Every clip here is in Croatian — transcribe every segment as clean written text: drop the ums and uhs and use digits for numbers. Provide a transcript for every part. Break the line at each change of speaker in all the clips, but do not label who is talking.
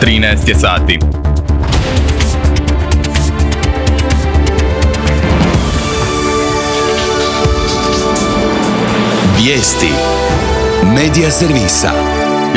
13 je sati.
Vijesti Medija servisa.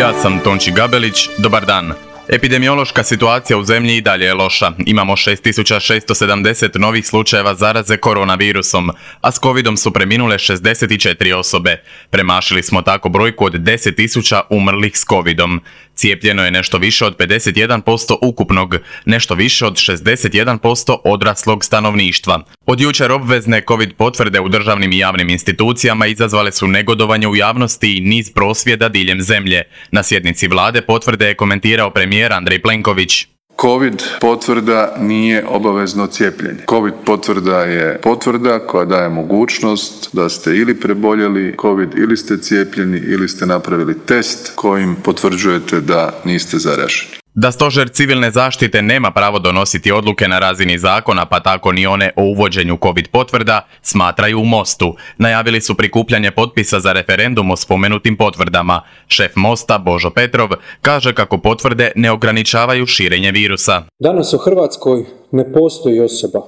Ja sam Tonči Gabelić, dobar dan. Epidemiološka situacija u zemlji i dalje je loša. Imamo 6670 novih slučajeva zaraze koronavirusom, a s covidom su preminule 64 osobe. Premašili smo tako brojku od 10.000 umrlih s covidom. Cijepljeno je nešto više od 51% ukupnog, nešto više od 61% odraslog stanovništva. Od jučer obvezne covid potvrde u državnim i javnim institucijama izazvale su negodovanje u javnosti i niz prosvjeda diljem zemlje. Na sjednici vlade potvrde je komentirao premijer Andrej Plenković.
Covid potvrda nije obavezno cijepljenje. Covid potvrda je potvrda koja daje mogućnost da ste ili preboljeli Covid ili ste cijepljeni ili ste napravili test kojim potvrđujete da niste zaraženi.
Da Stožer civilne zaštite nema pravo donositi odluke na razini zakona, pa tako ni one o uvođenju covid potvrda, smatraju u Mostu. Najavili su prikupljanje potpisa za referendum o spomenutim potvrdama. Šef Mosta, Božo Petrov, kaže kako potvrde ne ograničavaju širenje virusa.
Danas u Hrvatskoj ne postoji osoba,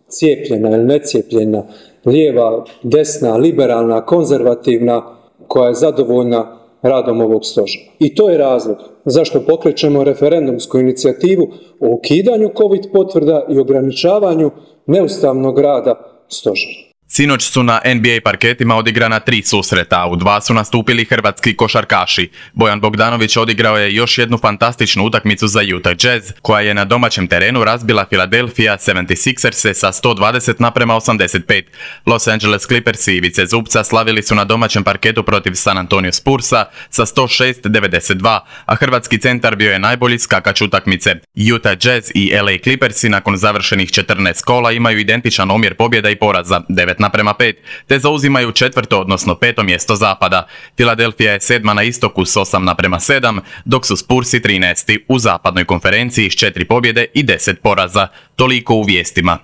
cijepljena ili necijepljena, lijeva, desna, liberalna, konzervativna, koja je zadovoljna radom ovog stožera. I to je razlog zašto pokrećemo referendumsku inicijativu o ukidanju covid potvrda i ograničavanju neustavnog rada stožera.
Sinoć su na NBA parketima odigrana 3 susreta, a u 2 su nastupili hrvatski košarkaši. Bojan Bogdanović odigrao je još jednu fantastičnu utakmicu za Utah Jazz, koja je na domaćem terenu razbila Philadelphia 76ers sa 120-85. Los Angeles Clippers i Ivice Zubca slavili su na domaćem parketu protiv San Antonio Spursa sa 106-92, a hrvatski centar bio je najbolji skakač utakmice. Utah Jazz i LA Clippersi nakon završenih 14 kola imaju identičan omjer pobjeda i poraza, 9:5, te zauzimaju 4. odnosno 5. mjesto zapada. Philadelphia je 7. na istoku s 8:7, dok su Spursi 13. u zapadnoj konferenciji s 4 pobjede i 10 poraza. Toliko u vijestima.